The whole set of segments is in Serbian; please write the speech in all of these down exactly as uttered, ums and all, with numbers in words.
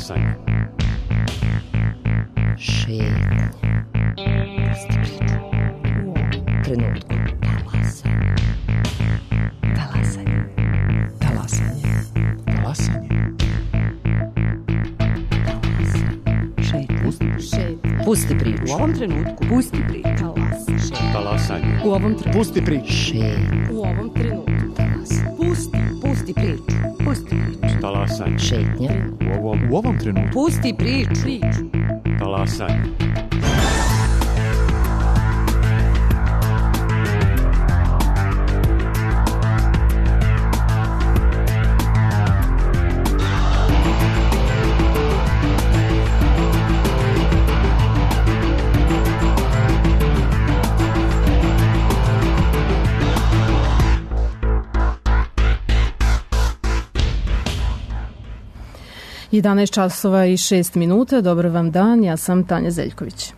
Talasanje. Šetnje. Pusti priču. U ovom trenutku. Talasanje. Talasanje. Talasanje. Talasanje. Pusti priču. U ovom trenutku. Pusti priču. Talas. Talasanje. U ovom trenutku. Pusti priču. Šetnje. U ovom trenutku. Talas. Pusti. Pusti priču. Pusti priču. Talasanje. Šetnje. U ovom, U ovom trenutku. Pusti priču. Priču. talasanje. jedanaest časova i šest minuta. Dobar vam dan, ja sam Tanja Zeljković.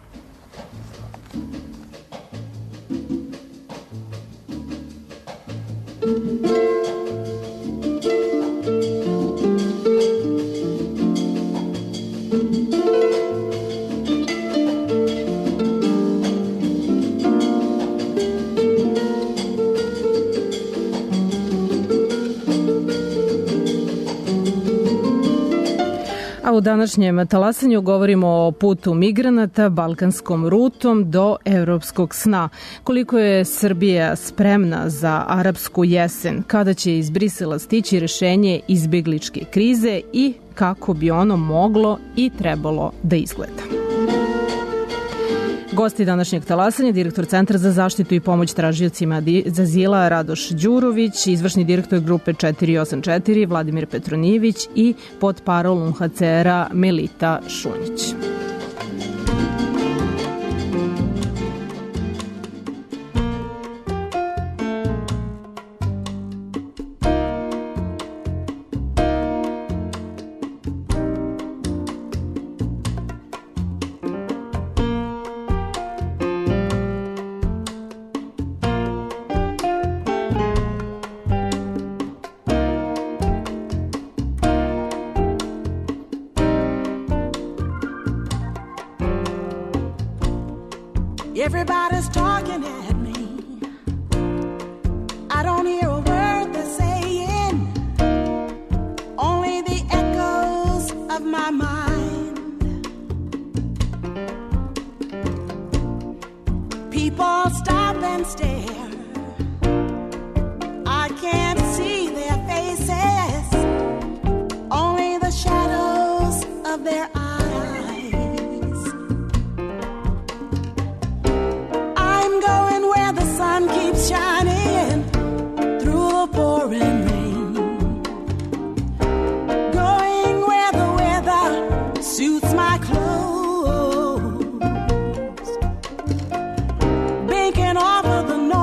U današnjem talasanju govorimo o putu migranata balkanskom rutom do evropskog sna. Koliko je Srbija spremna za arapsku jesen, kada će iz Brisela stići rešenje izbegličke krize i kako bi ono moglo i trebalo da izgleda. Gosti današnjeg talasanja, direktor Centra za zaštitu i pomoć tražiocima azila Radoš Đurović, izvršni direktor grupe četiri osam četiri Vladimir Petronijević i potparol U N H C R-a Melita Šunjić. Everybody's talking at me. I don't hear a word they're saying, only the echoes of my mind. People stop and stare. I can't see their faces, only the shadows of their eyes. Shining through the pouring rain, going where the weather suits my clothes, banking off of the noise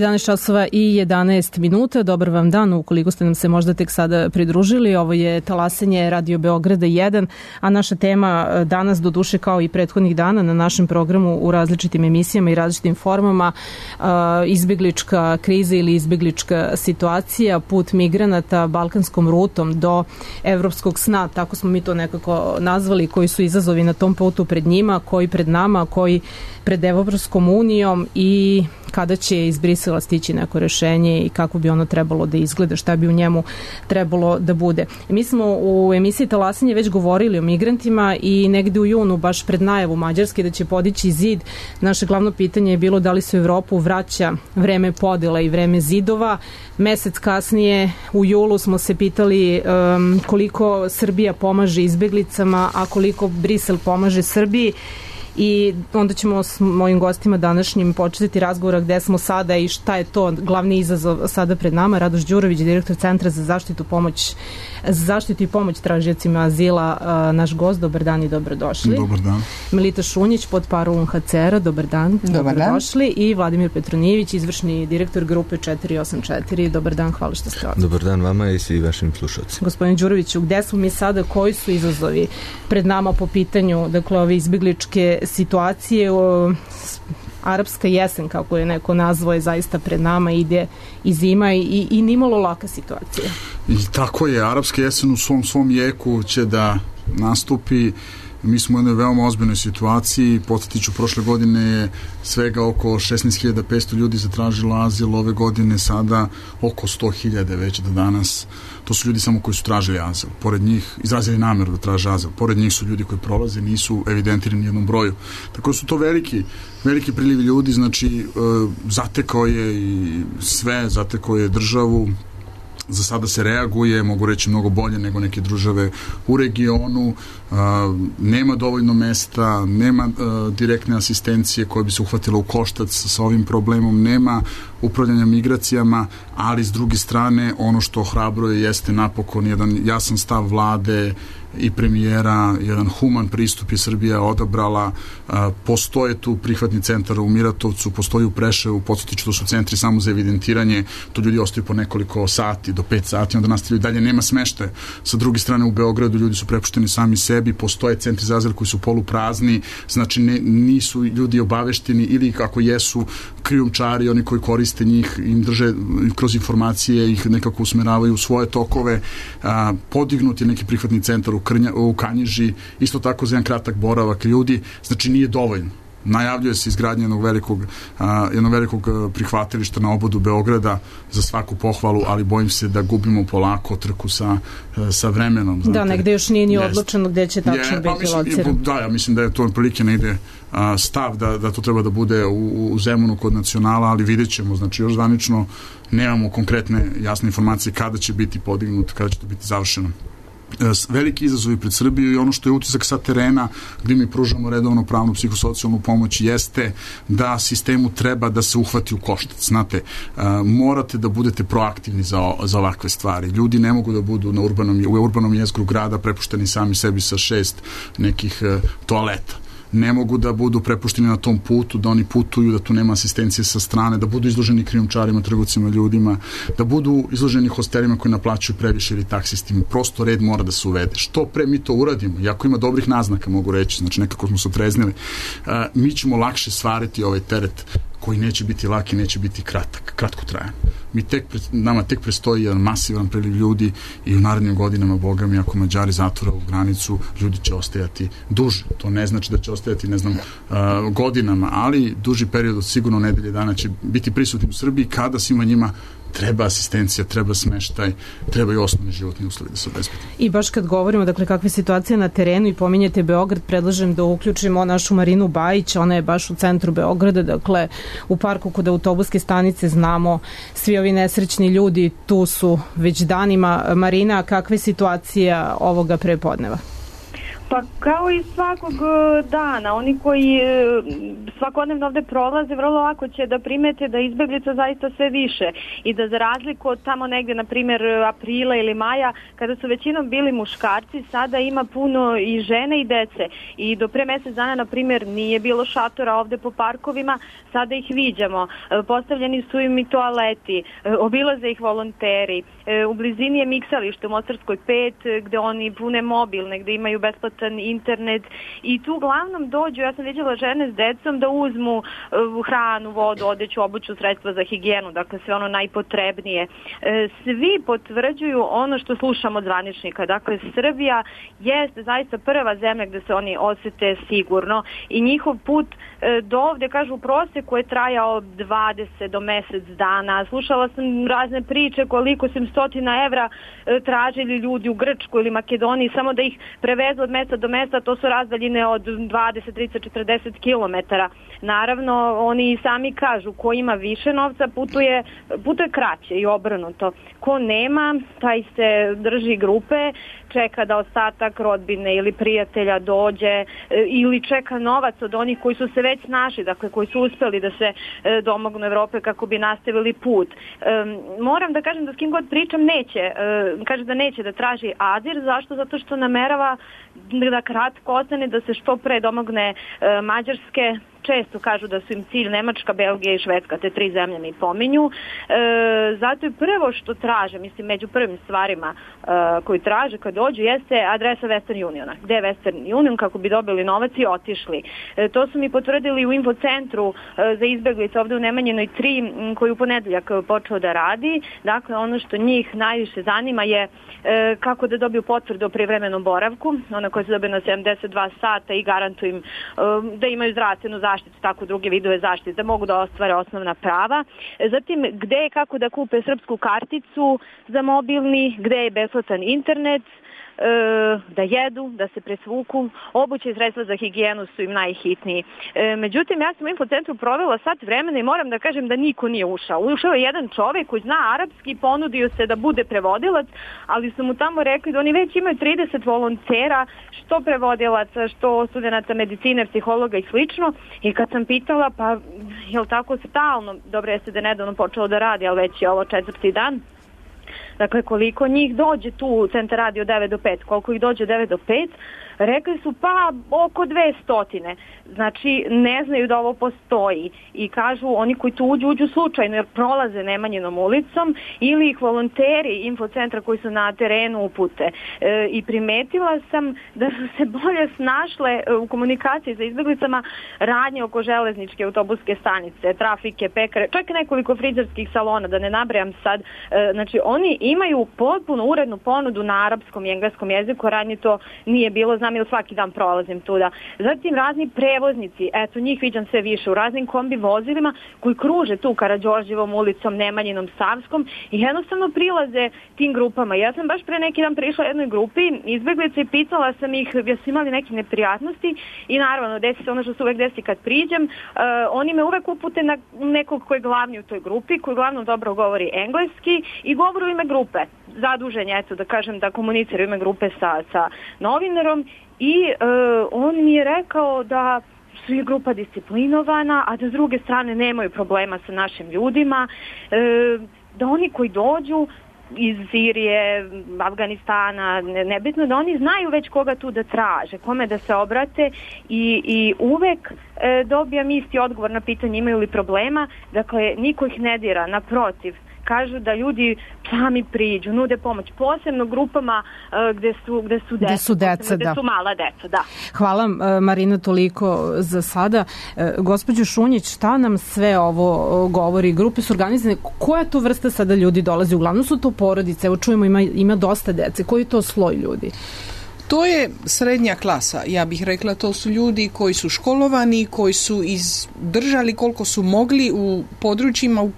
jedanaest časova i jedanaest minuta. Dobar vam dan, ukoliko ste nam se možda tek sada pridružili. Ovo je Talasanje Radio Beograda jedan, a naša tema danas, do duše kao i prethodnih dana na našem programu u različitim emisijama i različitim formama, izbeglička kriza ili izbeglička situacija, put migranata balkanskom rutom do evropskog sna, tako smo mi to nekako nazvali, koji su izazovi na tom putu pred njima, koji pred nama, koji pred Evropskom unijom i kada će iz Brisela stići neko rešenje i kako bi ono trebalo da izgleda, šta bi u njemu trebalo da bude. Mi smo u emisiji Talasanje već govorili o migrantima i negde u junu, baš pred najavu Mađarske da će podići zid, naše glavno pitanje je bilo da li se u Evropu vraća vreme podela i vreme zidova. Mesec kasnije, u julu, smo se pitali um, koliko Srbija pomaže izbeglicama, a koliko Brisel pomaže Srbiji. I onda ćemo s mojim gostima današnjim početi razgovora gde smo sada i šta je to glavni izazov sada pred nama. Radoš Đurović, direktor Centra za zaštitu pomoć za zaštitu i pomoć tražiocima azila, naš gost. Dobar dan i dobrodošli. Dobar dan. Melita Šunjić, podparu U N H C R-a, dobar dan. Dobar dobrodošli. Dan. I Vladimir Petronijević, izvršni direktor grupe četiri osam četiri. Dobar dan, hvala što ste ovdje. Dobar dan vama i svi vašim slušalcima. Gospodin Đuroviću, gde smo mi sada, koji su izazovi pred nama po pitanju, dakle, ove izbegličke situacije? O, arapska jesen, kako je neko nazvao, je zaista pred nama, ide i zima i, i nimalo laka situacija. I tako je, arapska jesen u svom svom jeku će da nastupi. Mi smo u jednoj veoma ozbiljnoj situaciji. Podsjetiću, prošle godine je svega oko šesnaest hiljada petsto ljudi zatražilo azil, ove godine sada oko sto hiljada već do danas. To su ljudi samo koji su tražili azil. Pored njih, izrazili nameru da traže azil. Pored njih su ljudi koji prolaze, nisu evidentirani u jednom broju. Tako da su to veliki, veliki prilivi ljudi, znači e, zatekao je i sve, zatekao je državu. Za sada se reaguje, mogu reći mnogo bolje nego neke države u regionu, a, nema dovoljno mesta, nema a, direktne asistencije koje bi se uhvatila u koštac sa ovim problemom, nema upravljanja migracijama, ali s druge strane ono što ohrabruje jeste napokon jedan jasan stav vlade i premijera, jedan human pristup je Srbija odabrala. A, postoje tu prihvatni centar u Miratovcu, postoji u Preševu, podsjetiću, to su centri samo za evidentiranje, to ljudi ostaju po nekoliko sati do pet sati, onda nastavljaju dalje, nema smeštaja. Sa druge strane u Beogradu ljudi su prepušteni sami sebi, postoje centri za azil koji su poluprazni, znači ne, nisu ljudi obavešteni ili kako jesu krijumčari, oni koji koriste njih, im drže kroz informacije, ih nekako usmeravaju u svoje tokove. A, podignut je neki prihvatni centar u, Krnja, u Kanjiži, isto tako za jedan kratak boravak ljudi, znači nije dovoljno. Najavljuje se izgradnje jednog velikog, a, jednog velikog prihvatilišta na obodu Beograda, za svaku pohvalu, ali bojim se da gubimo polako trku sa, sa vremenom. Znate. Da, negde još nije ni odlučeno gde će tačno je, pa biti lociran. Da, ja mislim da je to prilike negde a, stav da, da to treba da bude u, u Zemunu kod nacionala, ali vidjet ćemo, znači još zvanično nemamo konkretne jasne informacije kada će biti podignut, kada će to biti završeno. Veliki izazovi pred Srbiju i ono što je utisak sa terena gdje mi pružamo redovno pravnu psihosocijalnu pomoć jeste da sistemu treba da se uhvati u koštac. Znate, morate da budete proaktivni za, za ovakve stvari. Ljudi ne mogu da budu na urbanom, u urbanom jezgru grada prepušteni sami sebi sa šest nekih toaleta. Ne mogu da budu prepušteni na tom putu, da oni putuju, da tu nema asistencije sa strane, da budu izloženi krijumčarima, trgovcima ljudima, da budu izloženi hostelima koji naplaćuju previše ili taksistima. Prosto red mora da se uvede. Što pre mi to uradimo, iako ima dobrih naznaka, mogu reći, znači nekako smo se otreznili, mi ćemo lakše stvariti ovaj teret koji neće biti lak i neće biti kratak, kratko trajan. Mi tek, nama tek prestoji jedan masivan priliv ljudi i u narednim godinama, boga mi, ako Mađari zatvore u granicu, ljudi će ostajati duže. To ne znači da će ostajati, ne znam, uh, godinama, ali duži period od sigurno nedelje dana će biti prisutni u Srbiji kada svima njima treba asistencija, treba smeštaj, treba i osnovni životni uslovi da se obezbede. I baš kad govorimo, dakle, kakva je situacija na terenu i pominjete Beograd, predlažem da uključimo našu Marinu Bajić, ona je baš u centru Beograda, dakle, u parku kod autobuske stanice, znamo svi ovi nesrećni ljudi, tu su već danima. Marina, kakva je situacija ovoga prepodneva? Pa kao i svakog dana, oni koji svakodnevno ovde prolaze, vrlo lako će da primete da izbeglica zaista sve više i da za razliku od tamo negde, na primjer, aprila ili maja, kada su većinom bili muškarci, sada ima puno i žene i dece. I do pre mesec dana, na primjer, nije bilo šatora ovde po parkovima, sada ih viđamo. Postavljeni su im i toaleti, obilaze ih volonteri. U blizini je miksalište u Mostarskoj pet, gde oni pune mobilne, gde imaju besplatan internet i tu uglavnom dođu, ja sam vidjela žene s decom da uzmu uh, hranu, vodu, odeću, obuću, sredstva za higijenu, dakle sve ono najpotrebnije. E, svi potvrđuju ono što slušamo od zvaničnika, dakle Srbija jeste zaista prva zemlja gde se oni osete sigurno i njihov put e, do ovde, kažu, u proseku je trajao dvadeset do mesec dana. Slušala sam razne priče koliko su im stotina evra e, tražili ljudi u Grčkoj ili Makedoniji samo da ih prevezu od mesta do mesta, to su razdaljine od dvadeset, trideset, četrdeset kilometara. Naravno, oni sami kažu, ko ima više novca putuje, putuje kraće i obrnuto. Ko nema, taj se drži grupe, čeka da ostatak rodbine ili prijatelja dođe ili čeka novac od onih koji su se već našli, dakle koji su uspeli da se domognu Evrope kako bi nastavili put. Moram da kažem da s kim god pričam neće, kaže da neće da traži azil, zašto? Zato što namerava da kratko ostane, da se što pre domogne Mađarske. Često kažu da su im cilj Nemačka, Belgija i Švedska, te tri zemlje mi pominju. E, zato je prvo što traže, mislim među prvim stvarima e, koji traže kad dođu, jeste adresa Western Uniona. Gde je Western Union kako bi dobili novac i otišli. E, to su mi potvrdili u infocentru e, za izbeglice ovde u Nemanjinoj tri, koji u ponedeljak počeo da radi. Dakle, ono što njih najviše zanima je e, kako da dobiju potvrdu o privremenom boravku, ona koja se dobije na sedamdeset dva sata i garantuju im e, da imaju zdravstvenu zaštitu, tako druge vidove zaštite, da mogu da ostvare osnovna prava. Zatim, gde je kako da kupe srpsku karticu za mobilni, gde je besplatan internet, da jedu, da se presvuku, obuće i sredstva za higijenu su im najhitniji. E, međutim, ja sam u infocentru provela sat vremena i moram da kažem da niko nije ušao. Ušao je jedan čovek koji zna arapski, ponudio se da bude prevodilac, ali su mu tamo rekli da oni već imaju trideset volontera, što prevodilaca, što studenta medicine, psihologa i slično. I kad sam pitala, pa je li tako stalno, dobro jeste da je nedavno počelo da radi, ali već je ovo četvrti dan, dakle, koliko njih dođe tu u centar radi od devet do pet, koliko ih dođe od devet do pet, rekli su pa oko dve stotine. Znači, ne znaju da ovo postoji i kažu oni koji tu uđu, uđu slučajno jer prolaze Nemanjinom ulicom ili ih volonteri infocentra koji su na terenu upute. E, I primetila sam da su se bolje snašle u komunikaciji sa izbeglicama radnje oko železničke autobuske stanice, trafike, pekare, čak i nekoliko frizerskih salona, da ne nabrajam sad. E, znači, oni imaju potpuno urednu ponudu na arapskom i engleskom jeziku, radnje to nije bilo, znam ili svaki dan prolazim tuda. Zatim razni prevoznici, eto njih viđam sve više u raznim kombi vozilima koji kruže tu Karađorđevom ulicom, Nemanjinom, Savskom i jednostavno prilaze tim grupama. Ja sam baš pre neki dan prišla jednoj grupi izbeglica i pitala sam ih jesu imali neke neprijatnosti i naravno desi se ono što se uvek desi kad priđem, uh, oni me uvek upute na nekog koji je glavni u toj grupi, koji uglavnom dobro govori engleski i govori u ime grupe. Zadužen je, eto da kažem, da komunicira u ime grupe sa, sa novinarom i uh, on mi je rekao da su je grupa disciplinovana, a da s druge strane nemaju problema sa našim ljudima, uh, da oni koji dođu iz Sirije, Afganistana, nebitno, da oni znaju već koga tu da traže, kome da se obrate i, i uvek e, dobijam isti odgovor na pitanje imaju li problema, dakle niko ih ne dira, naprotiv, kažu da ljudi sami priđu, nude pomoć, posebno grupama uh, gde su, gde su deca, gde su, deca, gde da. su mala deca. Da. Hvala uh, Marina toliko za sada. Uh, gospođo Šunjić, šta nam sve ovo uh, govori? Grupe su organizane, koja to vrsta sada ljudi dolazi? Uglavnom su to porodice, evo čujemo ima, ima dosta dece, koji je to sloj ljudi? To je srednja klasa, ja bih rekla, to su ljudi koji su školovani, koji su izdržali koliko su mogli u područjima u,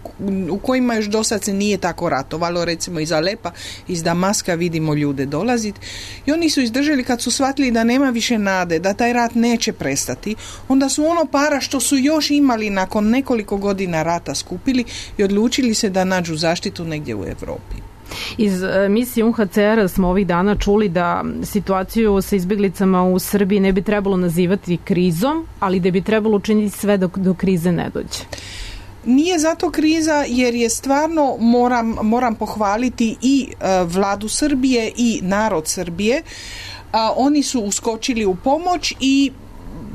u kojima još do sad se nije tako ratovalo, recimo iz Alepa, iz Damaska vidimo ljude dolaziti i oni su izdržali kad su shvatili da nema više nade, da taj rat neće prestati, onda su ono para što su još imali nakon nekoliko godina rata skupili i odlučili se da nađu zaštitu negdje u Europi. Iz misije U N H C R smo ovih dana čuli da situaciju sa izbjeglicama u Srbiji ne bi trebalo nazivati krizom, ali da bi trebalo učiniti sve dok do krize ne dođe. Nije zato kriza jer je stvarno, moram, moram pohvaliti i uh, vladu Srbije i narod Srbije. Uh, oni su uskočili u pomoć i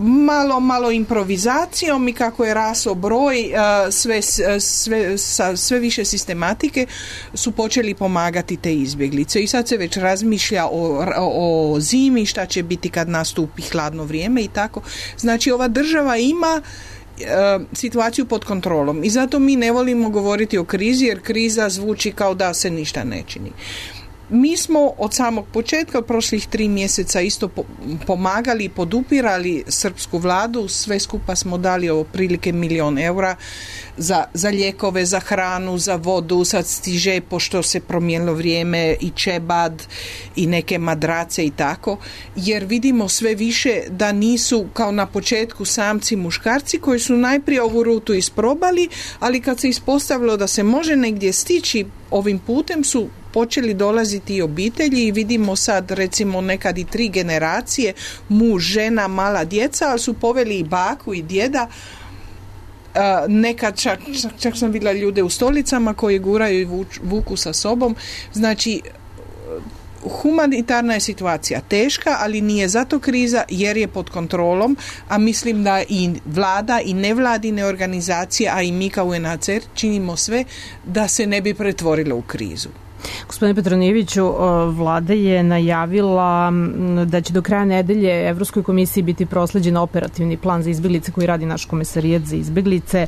malo, malo improvizacijom i kako je rasao broj, sve, sve, sa sve više sistematike su počeli pomagati te izbjeglice i sad se već razmišlja o, o, o zimi, šta će biti kad nastupi hladno vrijeme i tako. Znači ova država ima situaciju pod kontrolom i zato mi ne volimo govoriti o krizi jer kriza zvuči kao da se ništa ne čini. Mi smo od samog početka, od prošlih tri mjeseca isto pomagali i podupirali srpsku vladu, sve skupa smo dali otprilike milion eura za, za lijekove, za hranu, za vodu, sad stiže, pošto se promijenilo vrijeme, i čebad i neke madrace i tako, jer vidimo sve više da nisu kao na početku samci muškarci koji su najprije ovu rutu isprobali, ali kad se ispostavilo da se može negdje stići ovim putem su počeli dolaziti i obitelji i vidimo sad recimo nekad i tri generacije, muž, žena, mala djeca, ali su poveli i baku i djeda. Uh, nekad čak, čak, čak sam vidjela ljude u stolicama koji guraju i vuč, vuku sa sobom. Znači humanitarna je situacija teška, ali nije zato kriza jer je pod kontrolom, a mislim da i vlada i nevladine organizacije, a i mi kao U N H C R činimo sve da se ne bi pretvorilo u krizu. Gospodine Petronijeviću, vlada je najavila da će do kraja nedelje Evropskoj komisiji biti prosleđen operativni plan za izbjeglice koji radi naš komesarijat za izbjeglice.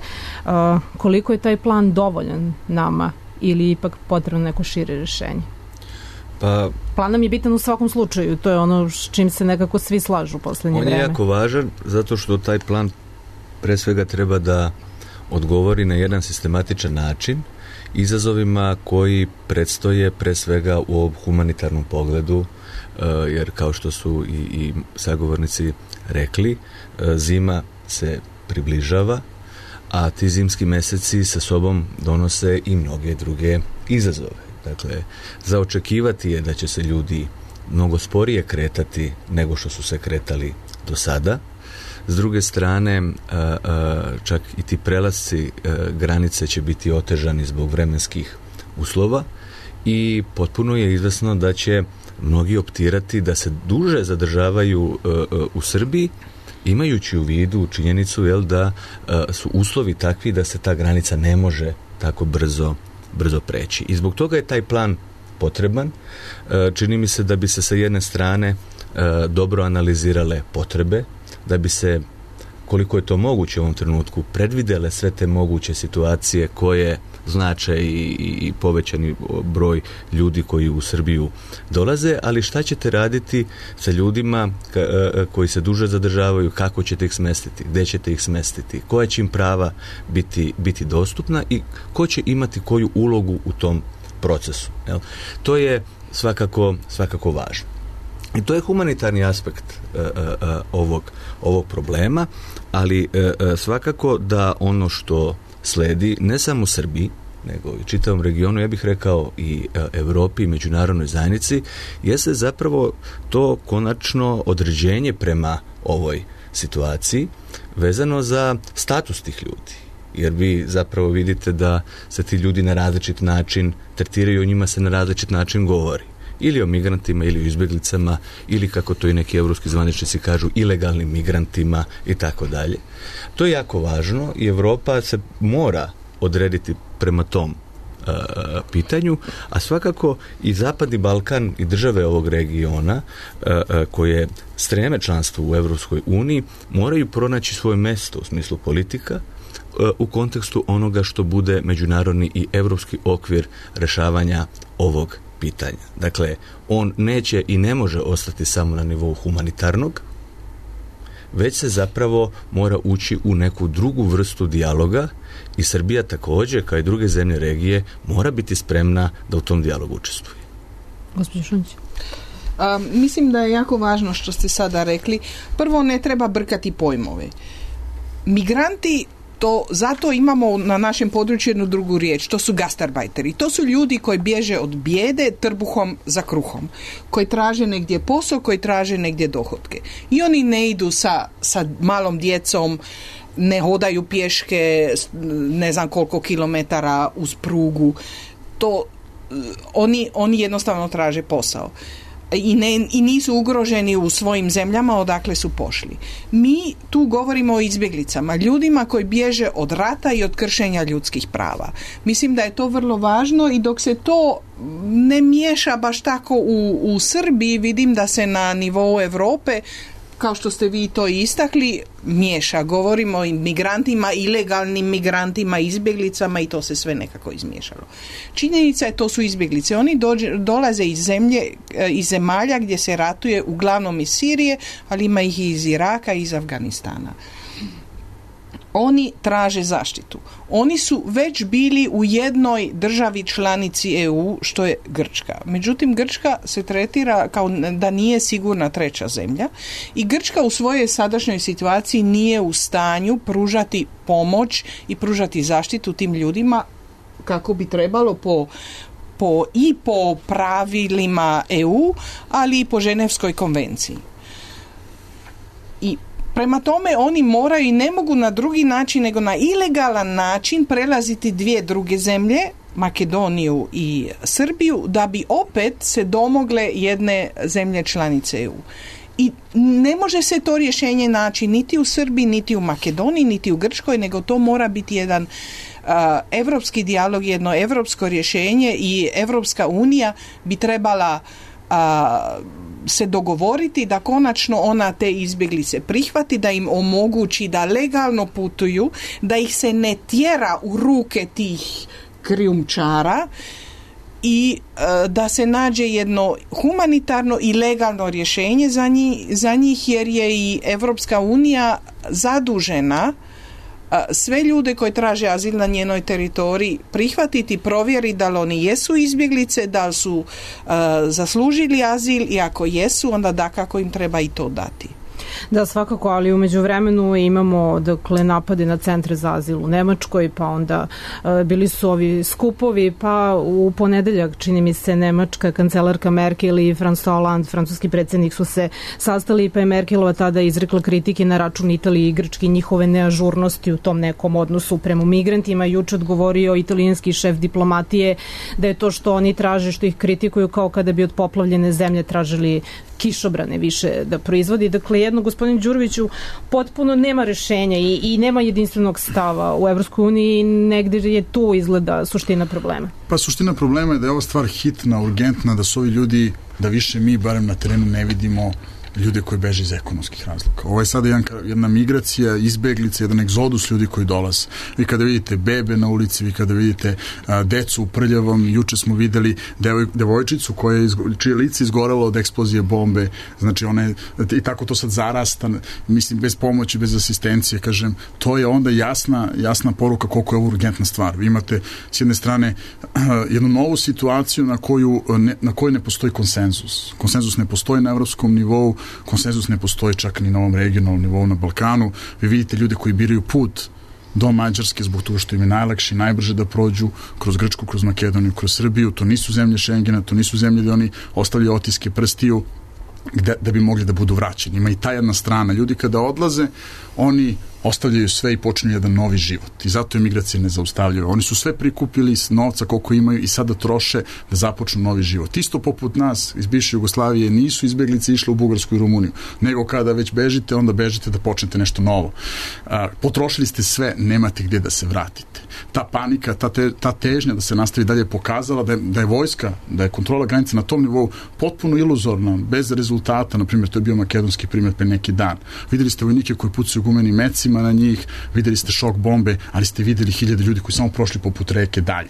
Koliko je taj plan dovoljan nama ili ipak potrebno neko šire rješenje? Pa, plan nam je bitan u svakom slučaju, to je ono s čim se nekako svi slažu u posljednje vreme. On je jako važan zato što taj plan pre svega treba da odgovori na jedan sistematičan način izazovima koji predstoje pre svega u ovom humanitarnom pogledu, jer kao što su i, i sagovornici rekli, zima se približava, a ti zimski meseci sa sobom donose i mnoge druge izazove. Dakle, za očekivati je da će se ljudi mnogo sporije kretati nego što su se kretali do sada. S druge strane, čak i ti prelasci granice će biti otežani zbog vremenskih uslova i potpuno je izvesno da će mnogi optirati da se duže zadržavaju u Srbiji, imajući u vidu činjenicu jel, da su uslovi takvi da se ta granica ne može tako brzo, brzo preći. I zbog toga je taj plan potreban. Čini mi se da bi se sa jedne strane dobro analizirale potrebe, da bi se, koliko je to moguće u ovom trenutku, predvidele sve te moguće situacije koje znače i, i povećani broj ljudi koji u Srbiju dolaze, ali šta ćete raditi sa ljudima ka, koji se duže zadržavaju, kako ćete ih smestiti, gdje ćete ih smestiti, koja će im prava biti, biti dostupna i ko će imati koju ulogu u tom procesu. Jel? To je svakako, svakako važno. I to je humanitarni aspekt uh, uh, ovog, ovog problema, ali uh, svakako da ono što sledi ne samo u Srbiji, nego i čitavom regionu, ja bih rekao i uh, Evropi i međunarodnoj zajednici, jeste zapravo to konačno određenje prema ovoj situaciji vezano za status tih ljudi. Jer vi zapravo vidite da se ti ljudi na različit način tretiraju, o njima se na različit način govori. Ili o migrantima, ili o izbjeglicama, ili kako to i neki evropski zvaničnici kažu, ilegalnim migrantima i tako dalje. To je jako važno i Evropa se mora odrediti prema tom uh, pitanju, a svakako i Zapadni Balkan i države ovog regiona uh, uh, koje streme članstvo u Evropskoj uniji moraju pronaći svoje mesto u smislu politika uh, u kontekstu onoga što bude međunarodni i evropski okvir rešavanja ovog pitanja. Dakle, on neće i ne može ostati samo na nivou humanitarnog, već se zapravo mora ući u neku drugu vrstu dijaloga i Srbija također, kao i druge zemlje regije, mora biti spremna da u tom dijalogu učestvuje. Gospođo Šunjić. Um, mislim da je jako važno što ste sada rekli. Prvo, ne treba brkati pojmove. Migranti, to zato imamo na našem području jednu drugu riječ, to su gastarbajteri. To su ljudi koji bježe od bijede trbuhom za kruhom, koji traže negdje posao, koji traže negdje dohotke. I oni ne idu sa, sa malom djecom, ne hodaju pješke ne znam koliko kilometara uz prugu. To, oni, oni jednostavno traže posao. I, ne, i nisu ugroženi u svojim zemljama odakle su pošli. Mi tu govorimo o izbjeglicama, ljudima koji bježe od rata i od kršenja ljudskih prava. Mislim da je to vrlo važno i dok se to ne miješa baš tako u, u Srbiji, vidim da se na nivou Europe, kao što ste vi to istakli, miješa. Govorimo o migrantima, ilegalnim migrantima, izbjeglicama i to se sve nekako izmiješalo. Činjenica je, to su izbjeglice. Oni dođe, dolaze iz zemlje, iz zemalja gdje se ratuje, uglavnom iz Sirije, ali ima ih i iz Iraka i iz Afganistana. Oni traže zaštitu. Oni su već bili u jednoj državi članici E U, što je Grčka. Međutim, Grčka se tretira kao da nije sigurna treća zemlja i Grčka u svojoj sadašnjoj situaciji nije u stanju pružati pomoć i pružati zaštitu tim ljudima kako bi trebalo po po i po pravilima E U, ali i po Ženevskoj konvenciji. I prema tome oni moraju i ne mogu na drugi način nego na ilegalan način prelaziti dvije druge zemlje, Makedoniju i Srbiju, da bi opet se domogle jedne zemlje članice E U. I ne može se to rješenje naći niti u Srbiji, niti u Makedoniji, niti u Grčkoj, nego to mora biti jedan uh, evropski dijalog, jedno evropsko rješenje i Evropska unija bi trebala uh, se dogovoriti da konačno ona te izbjeglice prihvati, da im omogući da legalno putuju, da ih se ne tjera u ruke tih krijumčara i e, da se nađe jedno humanitarno i legalno rješenje za njih, za njih jer je i Evropska unija zadužena sve ljude koji traže azil na njenoj teritoriji prihvatiti, provjeriti da li oni jesu izbjeglice, da li su uh, zaslužili azil i ako jesu, onda dakako im treba i to dati. Da, svakako, ali u međuvremenu imamo dakle napade na centre za azil u Nemačkoj, pa onda e, bili su ovi skupovi, pa u ponedeljak, čini mi se, nemačka kancelarka Merkel i François Hollande, francuski predsjednik, su se sastali, pa je Merkelova tada izrekla kritike na račun Italije i Grčke, njihove neažurnosti u tom nekom odnosu prema migrantima. Juče odgovorio italijanski šef diplomatije da je to što oni traže, što ih kritikuju, kao kada bi od poplavljene zemlje tražili kišobrane više da proizvodi. Dakle, jedno, gospodin Đuroviću, potpuno nema rešenja i, i nema jedinstvenog stava u Evropskoj uniji, negdje je tu izgleda suština problema. Pa suština problema je da je ova stvar hitna, urgentna, da su ovi ljudi, da više mi barem na terenu ne vidimo ljude koji beže iz ekonomskih razloga. Ovo je sada jedan, jedna migracija, izbeglica, jedan egzodus ljudi koji dolaze. Vi kada vidite bebe na ulici, vi kada vidite a, decu u prljavom, juče smo videli devoj, devojčicu koja je, čije lice izgorelo od eksplozije bombe, znači ona je, i tako to sad zarasta, mislim, bez pomoći, bez asistencije, kažem, to je onda jasna, jasna poruka koliko je ovo urgentna stvar. Vi imate s jedne strane a, jednu novu situaciju na koju ne, na kojoj ne postoji konsenzus. Konsenzus ne postoji na evropskom nivou, konsenzus ne postoji čak ni na ovom regionalnom nivou na Balkanu. Vi vidite ljude koji biraju put do Mađarske zbog toga što im je najlakše i najbrže da prođu kroz Grčku, kroz Makedoniju, kroz Srbiju. To nisu zemlje Šengena, to nisu zemlje gde oni ostavljaju otiske prstiju gde, da bi mogli da budu vraćeni. Ima i ta jedna strana. Ljudi kada odlaze, oni ostavljaju sve i počinju jedan novi život. I zato je migracije ne zaustavljaju. Oni su sve prikupili s novca koliko imaju i sada troše da započnu novi život. Isto poput nas iz bivše Jugoslavije nisu izbeglice išle u Bugarsku i Rumuniju, nego kada već bežite, onda bežite da počnete nešto novo. A, potrošili ste sve, nemate gdje da se vratite. Ta panika, ta, te, ta težnja da se nastavi dalje pokazala da je, da je vojska, da je kontrola granica na tom nivou potpuno iluzorna, bez rezultata. Na primjer, to je bio makedonski primjer pre neki dan. Videli ste vojnike koji pucaju gumenim mecima migracima na njih, videli ste šok bombe, ali ste videli hiljade ljudi koji samo prošli poput reke dalje.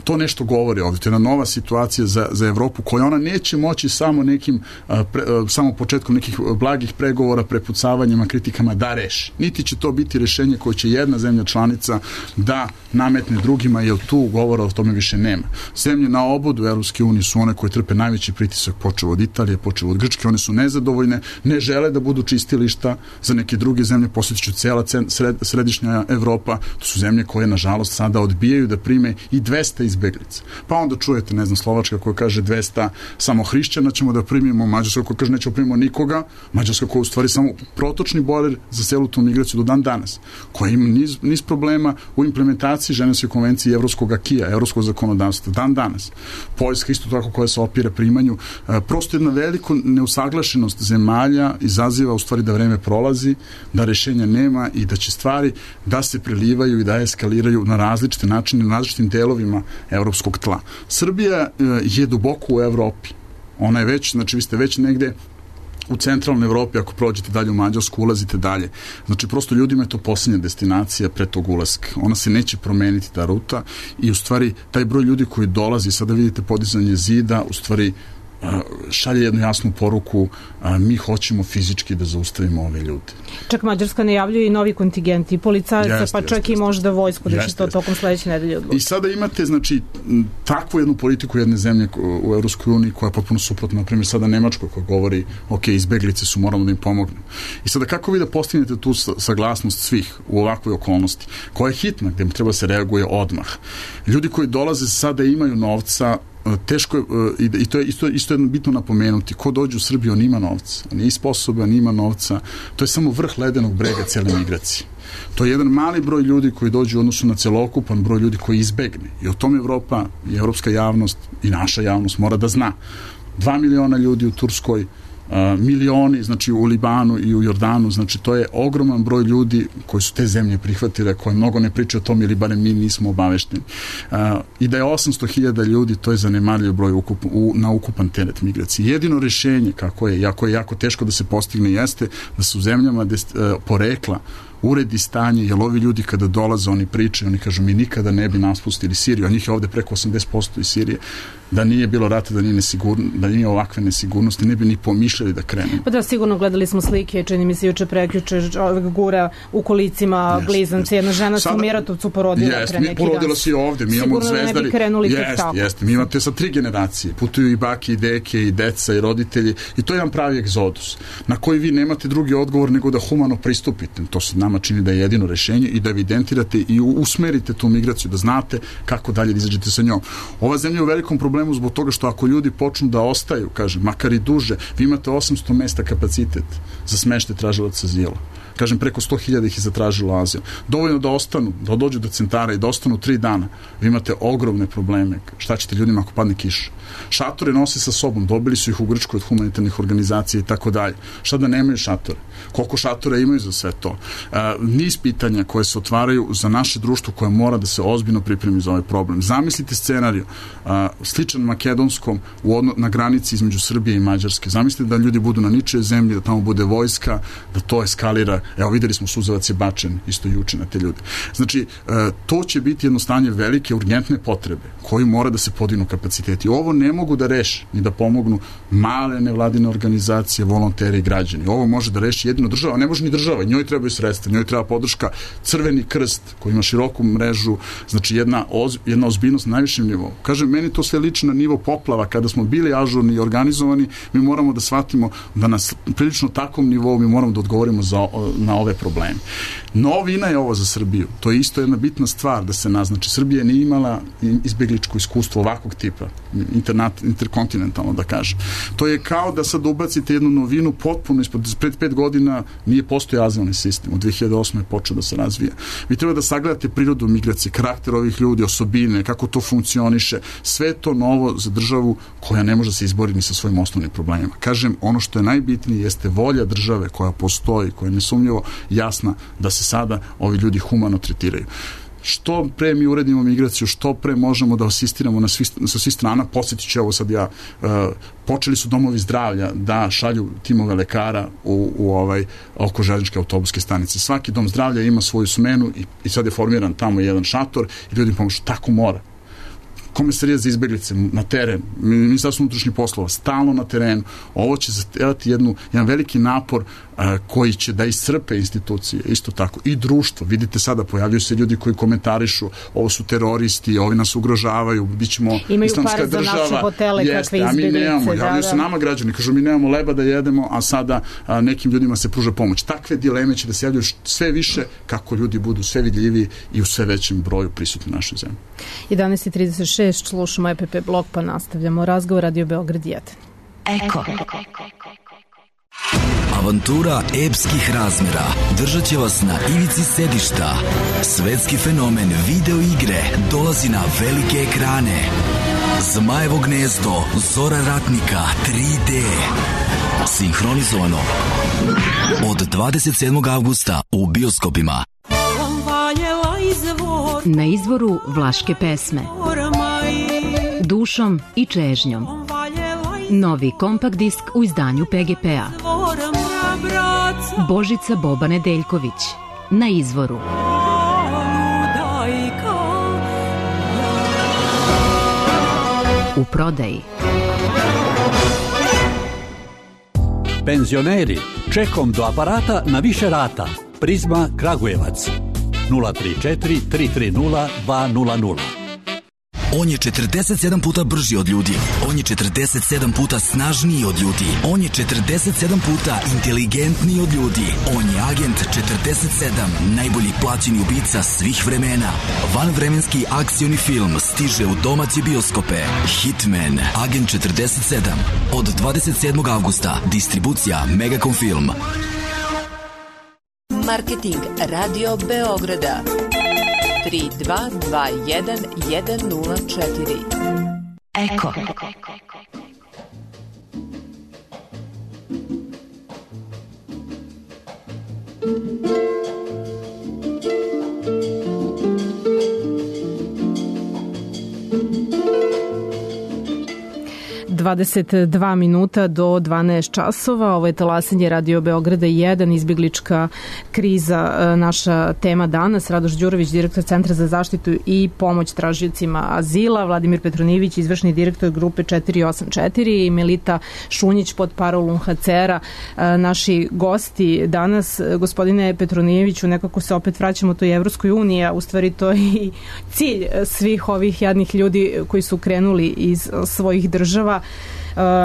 To nešto govori ovdje. To je jedna nova situacija za, za Evropu koja ona neće moći samo nekim, pre, samo početkom nekih blagih pregovora, prepucavanjima, kritikama da reši. Niti će to biti rešenje koje će jedna zemlja članica da nametne drugima, jer tu govora o tome više nema. Zemlje na obodu Evropske unije su one koje trpe najveći pritisak, počeo od Italije, počeo od Grčke, one su nezadovoljne, ne žele da budu čistilišta za neke druge zemlje, posjetiću cela sred, središnja Evropa, to su zemlje koje nažalost sada odbijaju da prime i dvesta izbeglica. Pa onda čujete, ne znam, Slovačka koja kaže dvesta samo hrišćana ćemo da primimo, Mađarska koja kaže nećemo primimo nikoga, Mađarska koja u stvari samo protočni bojler za celu tu migraciju do dan danas, koja ima niz, niz problema u implementaciji Ženevske konvencije i evropskog akija, evropskog zakonodavstva, dan danas. Poljska isto tako koja se opira primanju. E, prosto jedna veliko neusaglašenost zemalja izaziva u stvari da vreme prolazi, da rešenja nema i da će stvari da se prelivaju i da eskaliraju na različite načine, na različitim delovima evropskog tla. Srbija e, je duboko u Evropi. Ona je već, znači vi ste već negde u centralnoj Evropi, ako prođete dalje u Mađarsku, ulazite dalje. Znači, prosto ljudima je to posljednja destinacija pre tog ulaska. Ona se neće promeniti, ta ruta, i u stvari taj broj ljudi koji dolazi, sada vidite podizanje zida, u stvari šalje jednu jasnu poruku, a, mi hoćemo fizički da zaustavimo ove ljude. Čak Mađarska najavljuje i novi kontingent i policajaca, jeste, pa čak jeste, i možda vojsku, da će to jeste. tokom sledeće nedelje odlučiti. I sada imate, znači, takvu jednu politiku jedne zemlje u Evropskoj uniji koja je potpuno suprotna, na primjer sada Nemačkoj koja govori, ok, izbeglice su, moramo da im pomognemo. I sada kako vi da postignete tu saglasnost svih u ovakvoj okolnosti, koja je hitna, gde treba se reaguje odmah. Ljudi koji dolaze sada imaju novca, teško je, i to je isto, isto je bitno napomenuti, ko dođe u Srbiju, on ima novca, on je sposoban, on ima novca, to je samo vrh ledenog brega cele migracije. To je jedan mali broj ljudi koji dođu u odnosu na celokupan broj ljudi koji izbegne. I o tom Evropa i evropska javnost i naša javnost mora da zna. Dva miliona ljudi u Turskoj, Uh, milioni, znači u Libanu i u Jordanu, znači to je ogroman broj ljudi koji su te zemlje prihvatile, koji mnogo ne pričaju o tom ili barem mi nismo obavešteni. Uh, I da je osamsto hiljada ljudi, to je zanemarljiv broj ukup, u, na ukupan teret migracije. Jedino rešenje, kako je, jako je jako teško da se postigne, jeste da su zemljama dest, uh, porekla uredi stanje, jer ovi ljudi kada dolaze, oni pričaju, oni kažu mi nikada ne bi naspustili Siriju, a njih je ovde preko osamdeset posto iz Sirije, da nije bilo rata, da nije, nesigurno, da nije ovakve nesigurnosti, ne bi ni pomišljali da krenemo. Pa da, sigurno gledali smo slike, čini mi se juče prekjuče, ovog gura u kolicima jest, blizanci, jedna žena se u Miratovcu porodila jest, pre neki dan. Porodila se i ovde, mi imamo Zvezdari. Sigurno ne bi krenuli tek jest, tako. Jeste, mi imate sa tri generacije, putuju i bake, i deke, i deca, i roditelji, i to je jedan pravi egzodus, na koji vi nemate drugi odgovor nego da humano pristupite. To se nama čini da je jedino rešenje i da evidentirate i usmerite tu migraciju, da znate kako dalje da izađete sa njom. Ova zemlja je u velikom problemu zbog toga što ako ljudi počnu da ostaju, kažem, makar i duže, vi imate osamsto mesta kapacitet za smeštaj tražilaca azila. Kažem, preko sto hiljada ih je zatražilo azil. Dovoljno da ostanu, da dođu do centara i da ostanu tri dana. Vi imate ogromne probleme. Šta ćete ljudima ako padne kiša? Šatore nose sa sobom, dobili su ih u Grčkoj od humanitarnih organizacija i tako dalje. Šta da nemaju šatore? Koliko šatora imaju za sve to? Uh, niz pitanja koje se otvaraju za naše društvo koje mora da se ozbiljno pripremi za ovaj problem. Zamislite scenariju uh, sličan makedonskom u odno, na granici između Srbije i Mađarske. Zamislite da ljudi budu na ničoj zemlji, da tamo bude vojska, da to eskalira. Evo, videli smo, suzavac je bačen isto juče na te ljude. Znači, uh, to će biti jedno stanje velike, urgentne potrebe koji mora da se podignu kapaciteti. Ovo ne mogu da reši ni da pomognu male nevladine organizacije, volonteri i građani. Ovo može da reši jedino država, ne može ni država, njoj trebaju sredstva, njoj treba podrška. Crveni krst koji ima široku mrežu, znači jedna, oz, jedna ozbiljnost na najvišem nivou. Kažem, meni to sve liči na nivo poplava, kada smo bili ažurni i organizovani, mi moramo da shvatimo da na prilično takvom nivou mi moramo da odgovorimo za, na ove probleme. Novina je ovo za Srbiju. To je isto jedna bitna stvar da se naznači. Srbija nije imala izbegličko iskustvo ovakvog tipa, internat, interkontinentalno da kažem. To je kao da sad ubacite jednu novinu potpuno ispod, pred pet godina nije postojao azilni sistem. U dve hiljade osme je počeo da se razvija. Vi treba da sagledate prirodu migracije, karakter ovih ljudi, osobine, kako to funkcioniše. Sve to novo za državu koja ne može se izboriti ni sa svojim osnovnim problemima. Kažem, ono što je najbitnije jeste volja države koja postoji, koja je nesumnjivo jasna da se sada ovi ljudi humano tretiraju. što pre mi uredimo migraciju, što pre možemo da asistiramo na svi, sa svih strana. Posjetit ću, evo sad ja, uh, počeli su domovi zdravlja da šalju timove lekara u, u ovaj, oko željezničke autobuske stanice. Svaki dom zdravlja ima svoju smenu i, i sad je formiran tamo jedan šator i ljudi pomožu. Tako mora. Komisarija za izbeglice na teren, Ministarstvo unutrašnjih poslova, stalno na terenu. Ovo će zahtevati jednu, jedan veliki napor a, koji će da iscrpe institucije, isto tako, i društvo. Vidite sada, pojavljuju se ljudi koji komentarišu, ovo su teroristi, ovi nas ugrožavaju, bit ćemo islamska država. Imaju par za naše hotele, kakve izbeglice. A mi nemamo, javljaju se nama građani, kažu mi nemamo leba da jedemo, a sada a, nekim ljudima se pruža pomoć. Takve dileme će da se javljaju sve više kako ljudi budu sve vidljiviji i u sve većem broju prisutni u našoj zemlji. jedanaest i trideset šest slušamo E P P blog, pa nastavljamo razgovor. Radio Beograd jedan. Eko. Avantura epskih razmjera držat će vas na ivici sedišta. Svetski fenomen video igre dolazi na velike ekrane. Zmajevo gnezdo, Zora ratnika, tri D. Sinhronizovano od dvadeset sedmog avgusta u bioskopima. Na izvoru vlaške pesme, dušom i čežnjom. Novi kompakt disk u izdanju P G P-a. Božica Boba Nedeljković. Na izvoru. U prodaji. Penzioneri, čekom do aparata na više rata. Prizma Kragujevac. nula tri četiri tri tri nula dva nula nula. On je četrdeset sedam puta brži od ljudi. On je četrdeset sedam puta snažniji od ljudi. On je četrdeset sedam puta inteligentniji od ljudi. On je agent četrdeset sedam, najbolji plaćeni ubica svih vremena. Vanvremenski akcioni film stiže u domaće bioskope. Hitman, agent četrdeset sedam. Od dvadeset sedmog avgusta. Distribucija Megacom Film. Marketing Radio Beograda tri dva dva jedan jedan nula četiri. Eko. dvadeset dva minuta do dvanaest časova. Ovo je talasanje Radio Beograda jedan, izbjeglička kriza, naša tema danas. Radoš Đurović, direktor Centra za zaštitu i pomoć tražiocima azila, Vladimir Petronijević, izvršni direktor grupe četiri osam četiri i Melita Šunjić pod parolom H C R-a. Naši gosti danas, gospodine Petronijeviću, nekako se opet vraćamo toj Evropskoj uniji, a u stvari to je i cilj svih ovih jadnih ljudi koji su krenuli iz svojih država.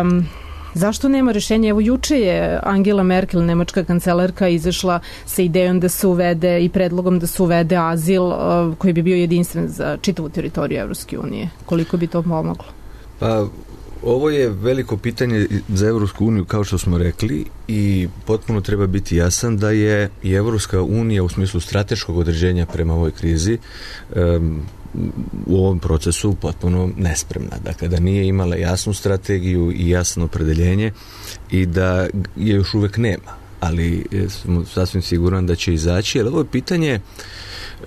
Um, zašto nema rešenja? Evo, juče je Angela Merkel, nemačka kancelarka, izašla sa idejom da se uvede i predlogom da se uvede azil uh, koji bi bio jedinstven za čitavu teritoriju Evropske unije. Koliko bi to pomoglo? Pa, ovo je veliko pitanje za Evropsku uniju, kao što smo rekli, i potpuno treba biti jasan da je i Evropska unija u smislu strateškog određenja prema ovoj krizi um, u ovom procesu potpuno nespremna. Dakle, da nije imala jasnu strategiju i jasno opredeljenje i da je još uvek nema. Ali sam sasvim siguran da će izaći. Jer ovo je pitanje uh,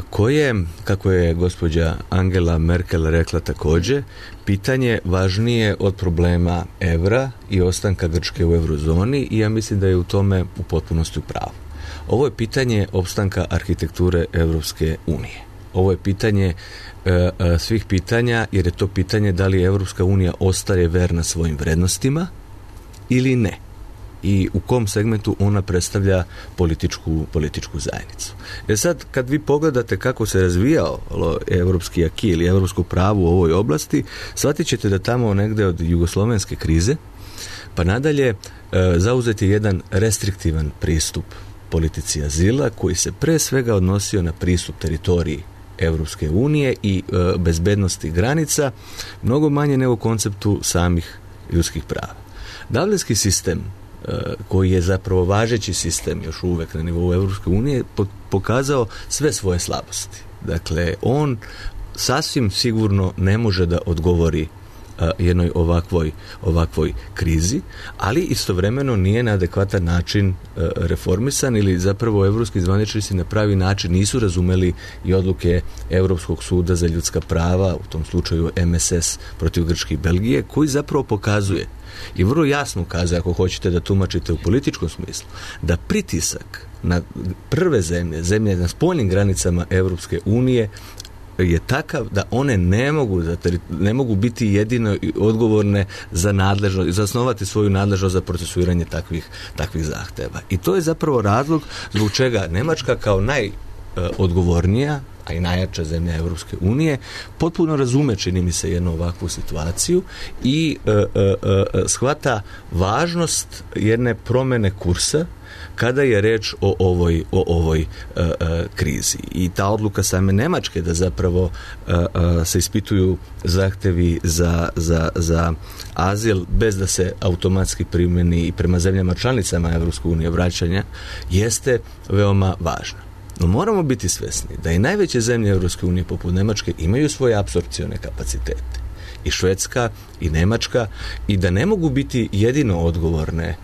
koje, kako je gospođa Angela Merkel rekla također, pitanje važnije od problema evra i ostanka Grčke u eurozoni, i ja mislim da je u tome u potpunosti u pravu. Ovo je pitanje opstanka arhitekture Evropske unije. Ovo je pitanje e, e, svih pitanja, jer je to pitanje da li Evropska unija ostaje verna svojim vrednostima ili ne. I u kom segmentu ona predstavlja političku, političku zajednicu. Jer sad, kad vi pogledate kako se razvijao evropski aki ili evropsko pravo u ovoj oblasti, shvatit ćete da tamo negde od jugoslovenske krize, pa nadalje, e, zauzeti jedan restriktivan pristup politici azila, koji se pre svega odnosio na pristup teritoriji Evropske unije i e, bezbednosti granica, mnogo manje nego konceptu samih ljudskih prava. Dublinski sistem, e, koji je zapravo važeći sistem još uvek na nivou Evropske unije, po, pokazao sve svoje slabosti. Dakle, on sasvim sigurno ne može da odgovori jednoj ovakvoj, ovakvoj krizi, ali istovremeno nije na adekvatan način reformisan ili zapravo evropski zvaničnici na pravi način nisu razumeli i odluke Europskog suda za ljudska prava, u tom slučaju M S S protiv Grčke i Belgije, koji zapravo pokazuje i vrlo jasno ukazuje, ako hoćete da tumačite u političkom smislu, da pritisak na prve zemlje, zemlje na spoljnim granicama Europske unije je takav da one ne mogu, ne mogu biti jedino odgovorne za nadležnost, zasnovati svoju nadležnost za procesuiranje takvih, takvih zahteva. I to je zapravo razlog zbog čega Nemačka kao najodgovornija, a i najjača zemlja Europske unije, potpuno razume, čini mi se, jednu ovakvu situaciju i e, e, e, shvata važnost jedne promjene kursa kada je reč o ovoj, o ovoj e, e, krizi. I ta odluka same Nemačke da zapravo e, e, se ispituju zahtevi za, za, za azil bez da se automatski primjeni i prema zemljama članicama Europske unije vraćanja, jeste veoma važna. No moramo biti svjesni da i najveće zemlje Europske unije poput Nemačke imaju svoje apsorpcione kapacitete. I Švedska i Nemačka, i da ne mogu biti jedino odgovorne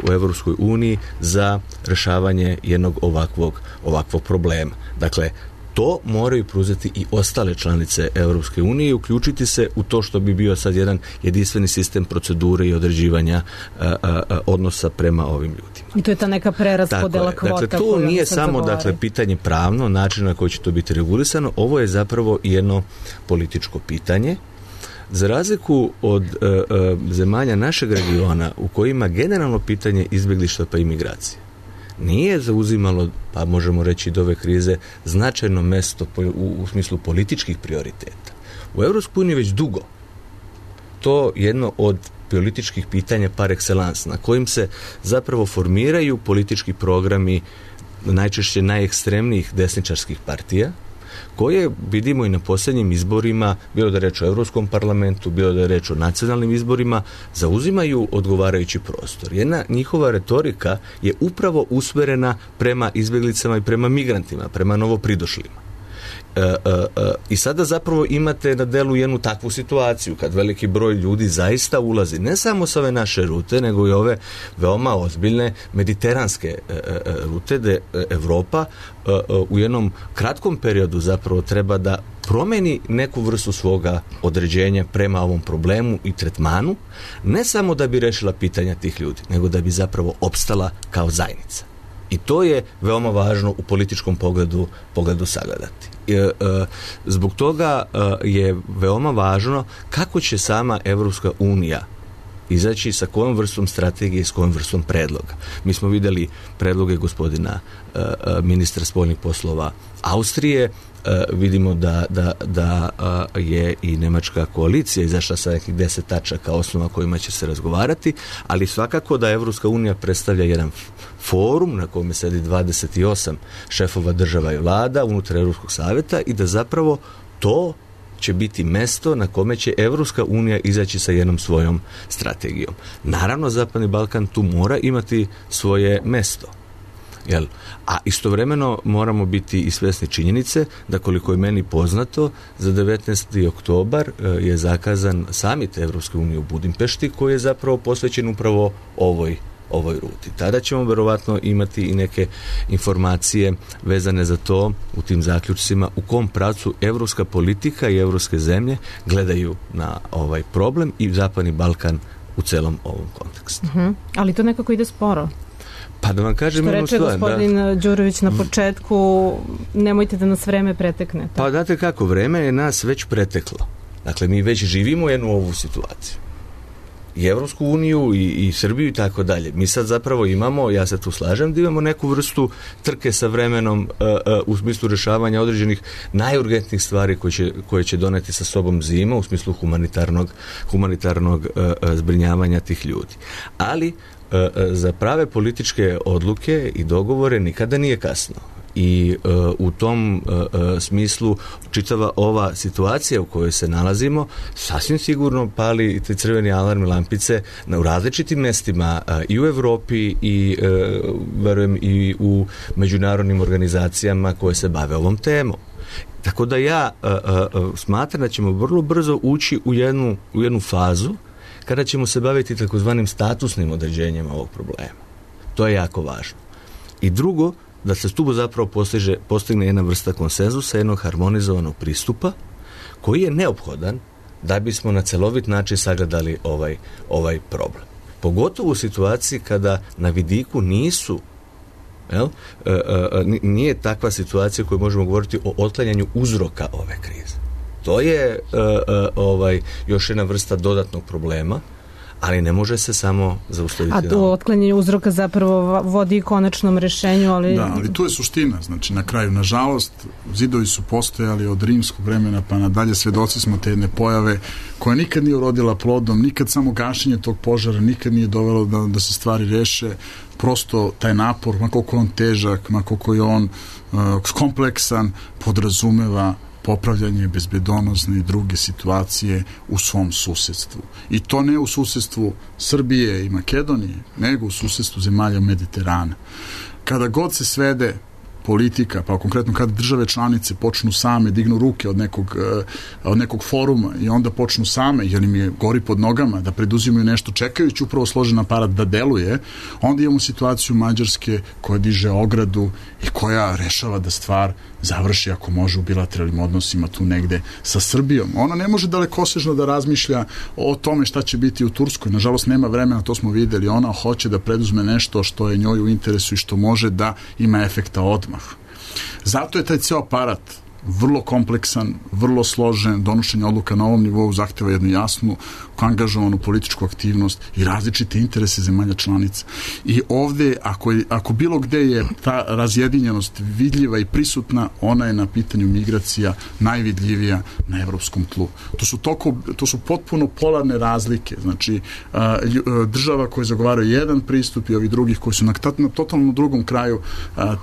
u Europskoj uniji za rješavanje jednog ovakvog, ovakvog problema. Dakle, to moraju preuzeti i ostale članice Europske unije i uključiti se u to što bi bio sad jedan jedinstveni sistem procedure i određivanja a, a, a, odnosa prema ovim ljudima. I to je ta neka preraspodela kvota. Dakle, to nije samo dakle, pitanje pravno, način na koji će to biti regulisano, ovo je zapravo jedno političko pitanje. Za razliku od e, e, zemalja našeg regiona u kojima generalno pitanje izbjeglištva pa imigracije nije zauzimalo, pa možemo reći do ove krize, značajno mjesto u, u smislu političkih prioriteta. U Europskoj uniji već dugo to jedno od političkih pitanja par excellence, na kojim se zapravo formiraju politički programi najčešće najekstremnijih desničarskih partija, koje vidimo i na posljednjim izborima, bilo da je reč o Europskom parlamentu, bilo da je reč o nacionalnim izborima, zauzimaju odgovarajući prostor. Jedna njihova retorika je upravo usmjerena prema izbjeglicama i prema migrantima, prema novopridošlima. E, e, e, I sada zapravo imate na delu jednu takvu situaciju kad veliki broj ljudi zaista ulazi ne samo sa ove naše rute, nego i ove veoma ozbiljne mediteranske e, e, rute gde Evropa e, e, u jednom kratkom periodu zapravo treba da promeni neku vrstu svoga određenja prema ovom problemu i tretmanu, ne samo da bi rešila pitanja tih ljudi, nego da bi zapravo opstala kao zajednica. I to je veoma važno u političkom pogledu, pogledu sagledati. E, e, zbog toga e, je veoma važno kako će sama Evropska unija izaći sa kojom vrstom strategije i s kojom vrstom predloga. Mi smo vidjeli predloge gospodina e, ministra spoljnih poslova Austrije, e, vidimo da, da, da e, je i nemačka koalicija izašla sa nekih deset tačaka osnova kojima će se razgovarati, ali svakako da Evropska unija predstavlja jedan forum na kome sedi dvadeset osam šefova država i vlada unutar Europskog savjeta i da zapravo to će biti mesto na kome će Evropska unija izaći sa jednom svojom strategijom. Naravno, Zapadni Balkan tu mora imati svoje mesto. Jel? A istovremeno moramo biti i svjesni činjenice da, koliko je meni poznato, za devetnaesti oktobar je zakazan samit Evropske unije u Budimpešti, koji je zapravo posvećen upravo ovoj ovoj ruti. Tada ćemo verovatno imati i neke informacije vezane za to u tim zaključcima u kom pravcu evropska politika i evropske zemlje gledaju na ovaj problem i Zapadni Balkan u celom ovom kontekstu. Uh-huh. Ali to nekako ide sporo. Pa da vam kažem jednu stvar. Što reče gospodin da... Đurović na početku, nemojte da nas vreme pretekne. Tako. Pa date kako, vreme je nas već preteklo. Dakle, mi već živimo jednu ovu situaciju. I Evropsku uniju i, i Srbiju i tako dalje. Mi sad zapravo imamo, ja se tu slažem, da imamo neku vrstu trke sa vremenom uh, uh, u smislu rješavanja određenih najurgentnijih stvari koje će, koje će doneti sa sobom zima u smislu humanitarnog, humanitarnog uh, uh, zbrinjavanja tih ljudi. Ali uh, uh, za prave političke odluke i dogovore nikada nije kasno. I uh, u tom uh, uh, smislu čitava ova situacija u kojoj se nalazimo sasvim sigurno pali i te crveni alarm lampice na, u različitim mestima uh, i u Evropi i uh, verujem i u međunarodnim organizacijama koje se bave ovom temom. Tako da ja a, a, a, smatram da ćemo vrlo brzo ući u jednu, u jednu fazu kada ćemo se baviti takozvanim statusnim određenjima ovog problema. To je jako važno. I drugo, da se tu zapravo postiže, postigne jedna vrsta konsenzusa, jednog harmonizovanog pristupa koji je neophodan da bismo na celovit način sagledali ovaj, ovaj problem. Pogotovo u situaciji kada na vidiku nisu jel, e, e, nije takva situacija koju možemo govoriti o otklanjanju uzroka ove krize. To je e, e, ovaj, još jedna vrsta dodatnog problema, ali ne može se samo zaustaviti. A to otklanjanje uzroka zapravo vodi konačnom rešenju, ali... Da, ali tu je suština, znači na kraju, nažalost, zidovi su postojali od rimskog vremena pa nadalje, svedoci smo te jedne pojave koja nikad nije urodila plodom, nikad samo gašenje tog požara, nikad nije dovelo da, da se stvari reše, prosto taj napor, ma koliko je on težak, ma koliko je on uh, kompleksan, podrazumeva popravljanje bezbedonosne i druge situacije u svom susedstvu. I to ne u susedstvu Srbije i Makedonije, nego u susedstvu zemalja Mediterana. Kada god se svede politika, pa konkretno kada države članice počnu same, dignu ruke od nekog, od nekog foruma i onda počnu same, jer im je gori pod nogama, da preduzimaju nešto čekajući upravo složen aparat da deluje, onda imamo situaciju Mađarske koja diže ogradu i koja rešava da stvar završi ako može u bilateralnim odnosima tu negde sa Srbijom. Ona ne može dalekosežno da razmišlja o tome šta će biti u Turskoj. Nažalost, nema vremena, to smo videli. Ona hoće da preduzme nešto što je njoj u interesu i što može da ima efekta odmah. Zato je taj ceo aparat vrlo kompleksan, vrlo složen, donošenje odluka na ovom nivou zahteva jednu jasnu, angažovanu političku aktivnost i različite interese zemalja članica. I ovde, ako, je, ako bilo gde je ta razjedinjenost vidljiva i prisutna, ona je na pitanju migracija najvidljivija na evropskom tlu. To su, toko, to su potpuno polarne razlike. Znači, država koje zagovaraju jedan pristup i ovi drugih koji su na, na totalno drugom kraju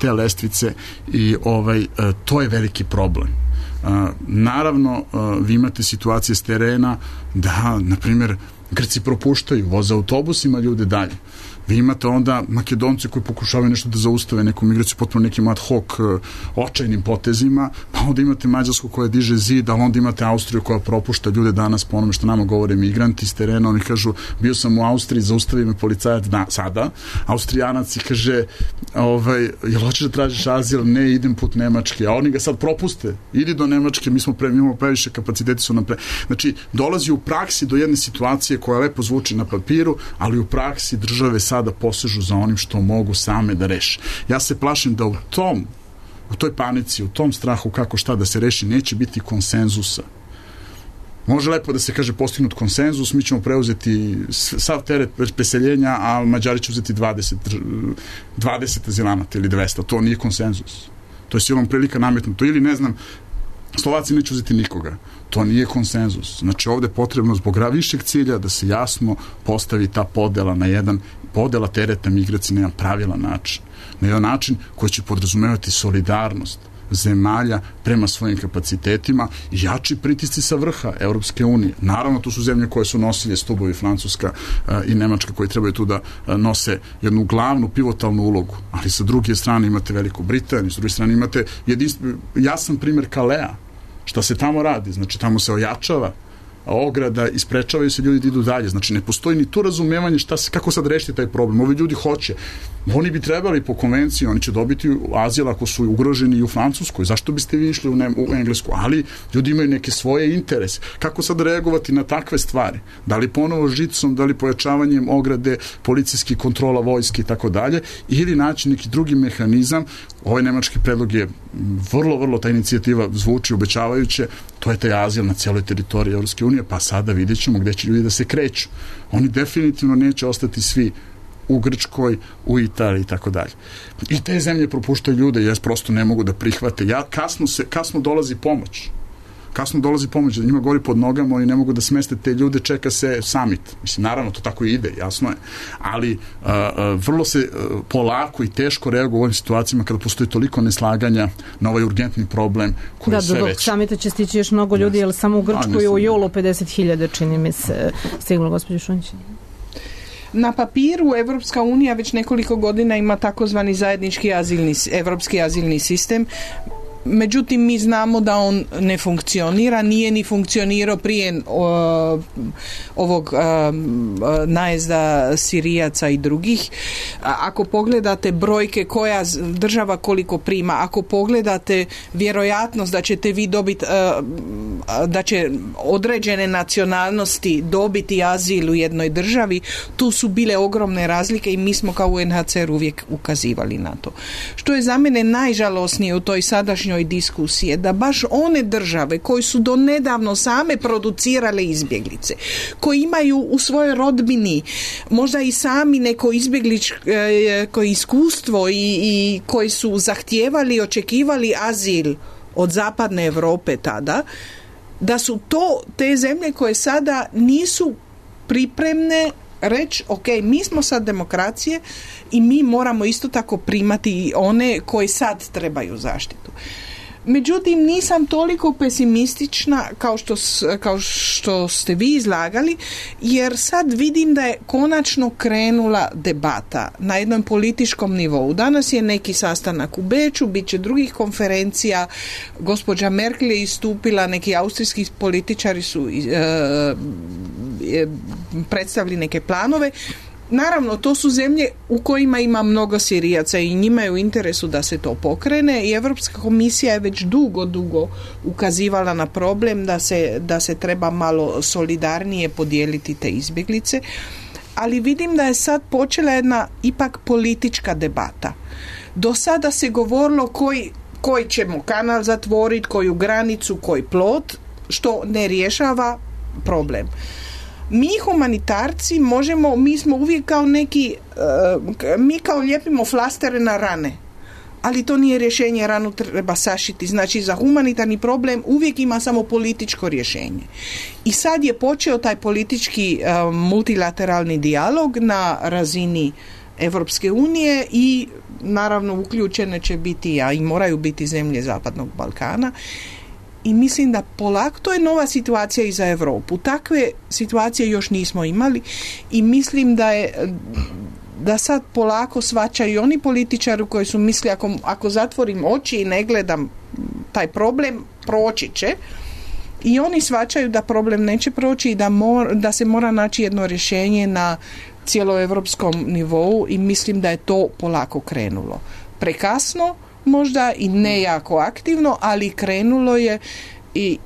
te lestvice i ovaj, to je veliki problem. Uh, naravno, uh, vi imate situacije s terena da, na primjer, Grci propuštaju, voze autobusima ljude dalje. Vi imate onda Makedonci koji pokušavaju nešto da zaustave neku migraciju potpuno nekim ad hoc uh, očajnim potezima, pa onda imate Mađarsku koja diže zid, ali onda imate Austriju koja propušta ljude danas po onome što nama govore migranti s terena. Oni kažu, bio sam u Austriji, zaustavi me policajac da, sada. Austrijanac i kaže, ovaj, jel hoćeš da tražiš azil? Ne, idem put Nemačke. A oni ga sad propuste. Idi do Nemačke, mi smo pre, mi imamo previše kapaciteti su nam pre... Znači, dolazi u praksi do jedne situacije koja lepo zvuči na papiru, ali u praksi države sada posežu za onim što mogu same da reše. Ja se plašim da u tom, u toj panici, u tom strahu kako šta da se reši, neće biti konsenzusa. Može lepo da se kaže postignut konsenzus, mi ćemo preuzeti sav teret preseljenja, a Mađari će uzeti dvadeset, dvadeset azilanata ili dvesta. To nije konsenzus. To je silom prilika nametnuto. Ili, ne znam, Slovaci neće uzeti nikoga. To nije konsenzus. Znači, ovde je potrebno zbog višeg cilja da se jasno postavi ta podela na jedan, podela tereta migracije na jedan pravilan način. Na jedan način koji će podrazumevati solidarnost zemalja prema svojim kapacitetima i jači pritisci sa vrha Evropske unije. Naravno, tu su zemlje koje su nosilje stubovi, Francuska uh, i Nemačka, koji trebaju tu da uh, nose jednu glavnu pivotalnu ulogu. Ali sa druge strane imate Veliku Britaniju, sa druge strane imate jedinstv... jasan primjer Kalea. Šta se tamo radi? Znači, tamo se ojačava ograda i sprečavaju se ljudi da idu dalje. Znači, ne postoji ni tu razumevanje šta se, kako sad rešiti taj problem. Ovi ljudi hoće. Oni bi trebali po konvenciji, oni će dobiti azil ako su ugroženi i u Francuskoj. Zašto biste vi išli u, ne, u Englesku? Ali ljudi imaju neke svoje interese. Kako sad reagovati na takve stvari? Da li ponovo žicom, da li pojačavanjem ograde, policijski kontrola vojske i tako dalje, ili naći neki drugi mehanizam. Ovaj nemački predlog je vrlo, vrlo, ta inicijativa zvuči obećavajuće, to je taj azil na cijeloj teritoriji Evropske unije, pa sada vidjet ćemo gde će ljudi da se kreću. Oni definitivno neće ostati svi u Grčkoj, u Italiji i tako dalje. I te zemlje propuštaju ljude, jer prosto ne mogu da prihvate. Ja, kasno, se, kasno dolazi pomoć. Kasno dolazi pomoć, da njima gori pod nogama, oni ne mogu da smeste te ljude, čeka se summit. Mislim, naravno, to tako i ide, jasno je. Ali uh, uh, vrlo se uh, polako i teško reaguje u ovim situacijama kada postoji toliko neslaganja na ovaj urgentni problem koji da, je sve do veći. Samita će stići još mnogo ljudi, jer samo u Grčkoj u julu pedeset hiljada, čini mi se, stiglo, gospođo Šunjić. Na papiru Evropska unija već nekoliko godina ima takozvani zajednički azilni, evropski azilni sistem. Međutim, mi znamo da on ne funkcionira, nije ni funkcionirao prije o, ovog a, najezda Sirijaca i drugih. A, ako pogledate brojke koja država koliko prima, ako pogledate vjerojatnost da ćete vi dobiti, da će određene nacionalnosti dobiti azil u jednoj državi, tu su bile ogromne razlike i mi smo kao U N H C R uvijek ukazivali na to. Što je za mene najžalosnije u toj sadašnjoj diskusiji, da baš one države koje su do nedavno same producirale izbjeglice, koji imaju u svojoj rodbini možda i sami neko izbjegličko iskustvo i, i koji su zahtijevali, očekivali azil od zapadne Europe tada, da su to te zemlje koje sada nisu pripremne reći, ok, mi smo sad demokracije i mi moramo isto tako primati one koji sad trebaju zaštitu. Međutim, nisam toliko pesimistična kao što, kao što ste vi izlagali, jer sad vidim da je konačno krenula debata na jednom političkom nivou. Danas je neki sastanak u Beču, bit će drugih konferencija, gospođa Merkel je istupila, neki austrijski političari su e, e, predstavili neke planove. Naravno, to su zemlje u kojima ima mnogo Sirijaca i njima je u interesu da se to pokrene i Europska komisija je već dugo, dugo ukazivala na problem da se, da se treba malo solidarnije podijeliti te izbjeglice, ali vidim da je sad počela jedna ipak politička debata. Do sada se govorilo koji, koji ćemo kanal zatvoriti, koju granicu, koji plot, što ne rješava problem. Mi humanitarci možemo, mi smo uvijek kao neki, uh, mi kao lijepimo flastere na rane, ali to nije rješenje, ranu treba sašiti. Znači za humanitarni problem uvijek ima samo političko rješenje. I sad je počeo taj politički uh, multilateralni dijalog na razini Evropske unije i naravno uključene će biti, a i moraju biti zemlje Zapadnog Balkana. I mislim da polako, to je nova situacija i za Europu. Takve situacije još nismo imali i mislim da je da sad polako shvaćaju i oni političari koji su mislili ako, ako zatvorim oči i ne gledam taj problem, proći će. I oni shvaćaju da problem neće proći i da, mor, da se mora naći jedno rješenje na cijeloevropskom nivou i mislim da je to polako krenulo. Prekasno, možda i ne jako aktivno, ali krenulo je i,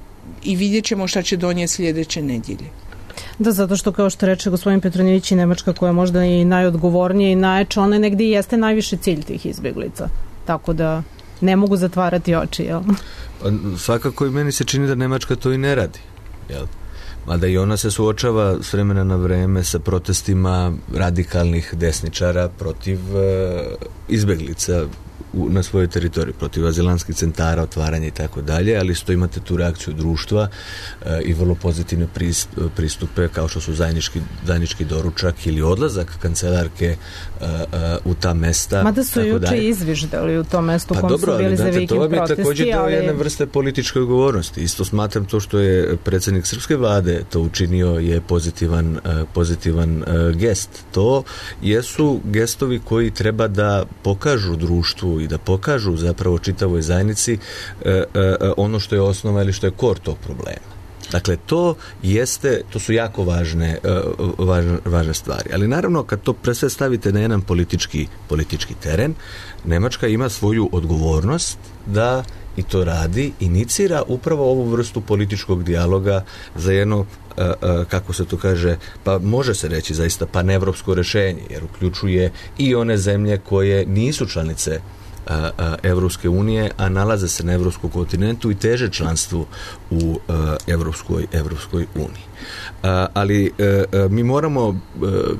i vidjet ćemo šta će donijeti sljedeće nedjelje. Da, zato što kao što reče gospodin Petronjević i Nemačka koja je možda i najodgovornija i najjača, ona negdje i jeste najviši cilj tih izbjeglica. Tako da ne mogu zatvarati oči, jel? Pa, svakako i meni se čini da Nemačka to i ne radi, jel? Mada i ona se suočava s vremena na vreme sa protestima radikalnih desničara protiv e, izbjeglica u, na svojoj teritoriji, protiv azilanskih centara, otvaranja i tako dalje, ali isto imate tu reakciju društva e, i vrlo pozitivne pristupe kao što su zajednički, zajednički doručak ili odlazak kancelarke e, e, u ta mesta. Mada su juče izviždali u tom mestu pa kom dobro, su bili ali, za vikend protesti. To mi je također deo ali... jedne vrste političke odgovornosti. Isto smatram to što je predsjednik srpske vlade to učinio je pozitivan, e, pozitivan e, gest. To jesu gestovi koji treba da pokažu društvu i da pokažu zapravo čitavoj zajednici e, e, ono što je osnova ili što je kor tog problema. Dakle, to jeste, to su jako važne, e, važne, važne stvari. Ali naravno, kad to pre sve stavite na jedan politički, politički teren, Nemačka ima svoju odgovornost da i to radi, inicira upravo ovu vrstu političkog dijaloga za jedno, e, e, kako se to kaže, pa može se reći zaista panevropsko rješenje, jer uključuje i one zemlje koje nisu članice Evropske unije, a nalaze se na evropskom kontinentu i teže članstvu u Evropskoj, Evropskoj uniji. Ali mi moramo,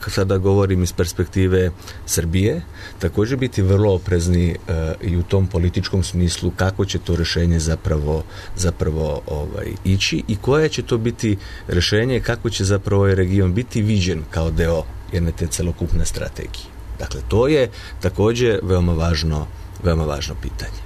sada govorim iz perspektive Srbije, također biti vrlo oprezni i u tom političkom smislu kako će to rješenje zapravo, zapravo ovaj, ići i koje će to biti rješenje, kako će zapravo ovaj region biti viđen kao deo jedne te celokupne strategije. Dakle, to je također veoma važno veoma važno pitanje.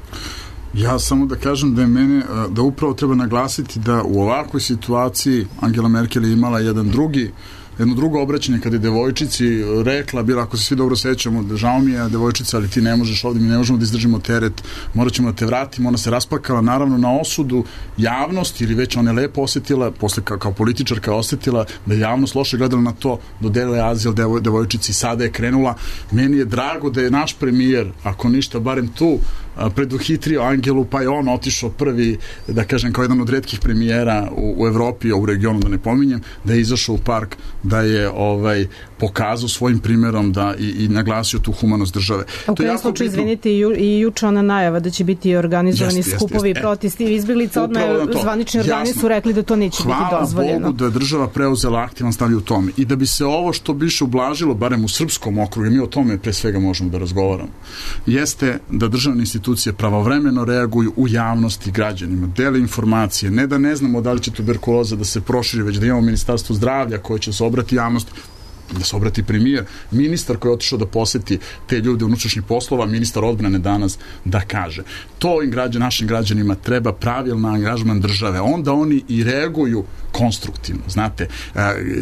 Ja samo da kažem da je mene, da upravo treba naglasiti da u ovakvoj situaciji Angela Merkel je imala jedan drugi jedno drugo obraćanje kada je devojčici rekla, bila, ako se svi dobro sećamo, žao mi je devojčica, ali ti ne možeš ovdje, mi ne možemo da izdržimo teret, morat ćemo da te vratimo. Ona se rasplakala naravno na osudu javnosti, ili već ona je lepo osjetila, posle kao, kao političarka osjetila da je javnost loše gledala na to, dodelila je azil devoj, devojčici, sada je krenula. Meni je drago da je naš premijer, ako ništa, barem tu, preduhitrio Angelu, pa je on otišao prvi, da kažem, kao jedan od retkih premijera u, u Evropi, a u regionu da ne pominjem, da je izašao u park, da je ovaj pokazao svojim primjerom da i, i naglasio tu humanost države. U kojem slučaju, izvinite, i, ju, i juče ona najava da će biti organizovani jest, skupovi jest, jest. protesti i izbjeglica, odmah zvanični organi su rekli da to neće Hvala biti dozvoljeno. Hvala Bogu da je država preuzela aktivan stav u tome. I da bi se ovo što biše ublažilo, barem u srpskom okrugu, mi o tome pre svega možemo da razgovaramo, jeste da državne institucije pravovremeno reaguju u javnosti građanima, dele informacije, ne da ne znamo da li će tuberkuloza da se proširi, već da imamo ministarstvo zdravlja koje će se obrati javnosti, da se obrati premijer, ministar koji je otišao da poseti te ljude unutrašnjih poslova, ministar odbrane danas, da kaže. To im građan, našim građanima treba pravilna angažman države. Onda oni i reaguju konstruktivno. Znate,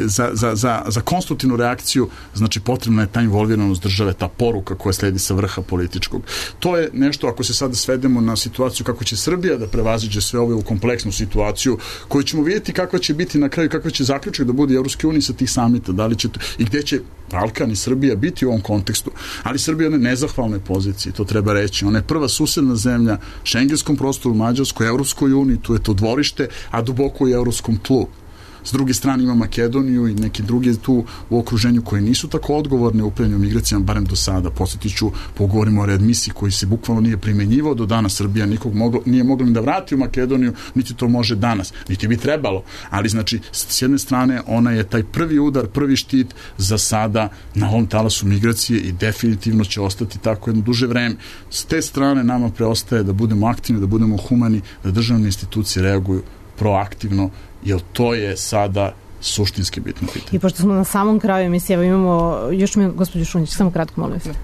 za, za, za, za konstruktivnu reakciju, znači potrebna je ta involviranost države, ta poruka koja sledi sa vrha političkog. To je nešto, ako se sada svedemo na situaciju kako će Srbija da prevaziđe sve ove u kompleksnu situaciju, koju ćemo vidjeti kakva će biti na kraju, kakva će zaključak da bude Evropske unije sa tih samita, da li će to, i gde će Balkan i Srbija biti u ovom kontekstu. Ali Srbija je na nezahvalnoj poziciji, to treba reći. Ona je prva susedna zemlja šengenskom prostoru, Mađarskoj, Evropskoj uniji, tu je to dvorište, a duboko u evropskom tlu. S druge strane ima Makedoniju i neke druge tu u okruženju koji nisu tako odgovorne u upravljanju migracijama, barem do sada. Posjetit ću, pogovorimo o readmisiji koji se bukvalno nije primenjivao do danas. Srbija nikog moglo, nije mogla ni da vrati u Makedoniju, niti to može danas, niti bi trebalo. Ali znači, s jedne strane, ona je taj prvi udar, prvi štit za sada na ovom talasu migracije i definitivno će ostati tako jedno duže vreme. S te strane nama preostaje da budemo aktivni, da budemo humani, da državne institucije reaguju proaktivno, jer to je sada suštinski bitno pitanje. I pošto smo na samom kraju emisije, evo imamo, još mi, gospođo Šunjić, samo kratko, molim vas.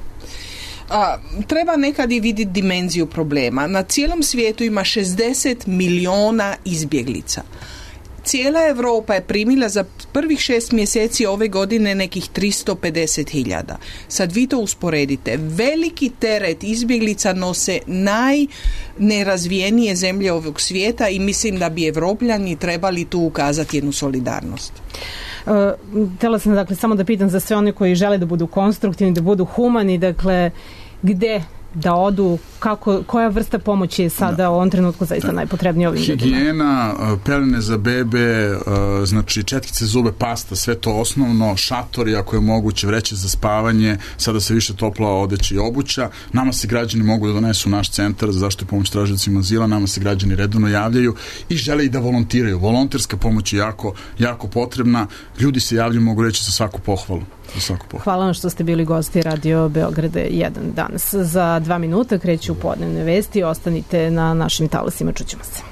A, treba nekad i vidjeti dimenziju problema. Na cijelom svijetu ima šezdeset miliona izbjeglica. Cijela Evropa je primila za prvih šest mjeseci ove godine nekih tristo pedeset hiljada. Sad vi to usporedite. Veliki teret izbjeglica nose najnerazvijenije zemlje ovog svijeta i mislim da bi Evropljani trebali tu ukazati jednu solidarnost. Uh, htjela sam dakle samo da pitam za sve one koji žele da budu konstruktivni, da budu humani, dakle gde da odu, kako, koja vrsta pomoći je sada da. u ovom trenutku zaista najpotrebnija ovim ljudima? Higijena, pelene za bebe, znači četkice zube, pasta, sve to osnovno, šatori ako je moguće, vreće za spavanje, sada se više topla odeća i obuća. Nama se građani mogu da donesu naš centar za zaštitu i pomoć tražiocima azila, nama se građani redovno javljaju i žele i da volontiraju. Volonterska pomoć je jako, jako potrebna. Ljudi se javljaju, mogu reći, za svaku pohvalu. Hvala vam što ste bili gosti Radio Beograda jedan danas. Za dva minuta kreću podnevne vesti. Ostanite na našim talasima, čućemo se.